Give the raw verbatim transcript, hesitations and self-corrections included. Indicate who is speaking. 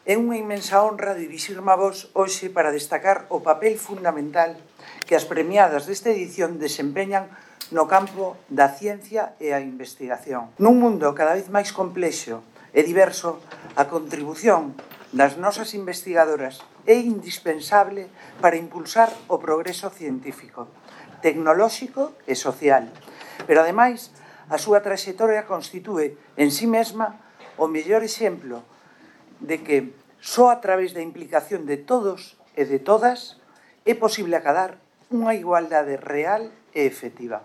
Speaker 1: É unha inmensa honra dirixirme a vos hoxe para destacar o papel fundamental que as premiadas desta edición desempeñan no campo da ciencia e a investigación. Nun mundo cada vez máis complexo e diverso, a contribución das nosas investigadoras é indispensable para impulsar o progreso científico, tecnolóxico e social. Pero, ademais, a súa traxectoria constitúe en sí mesma o mellor exemplo de que só a través da implicación de todos e de todas é posible acadar unha igualdade real e efectiva.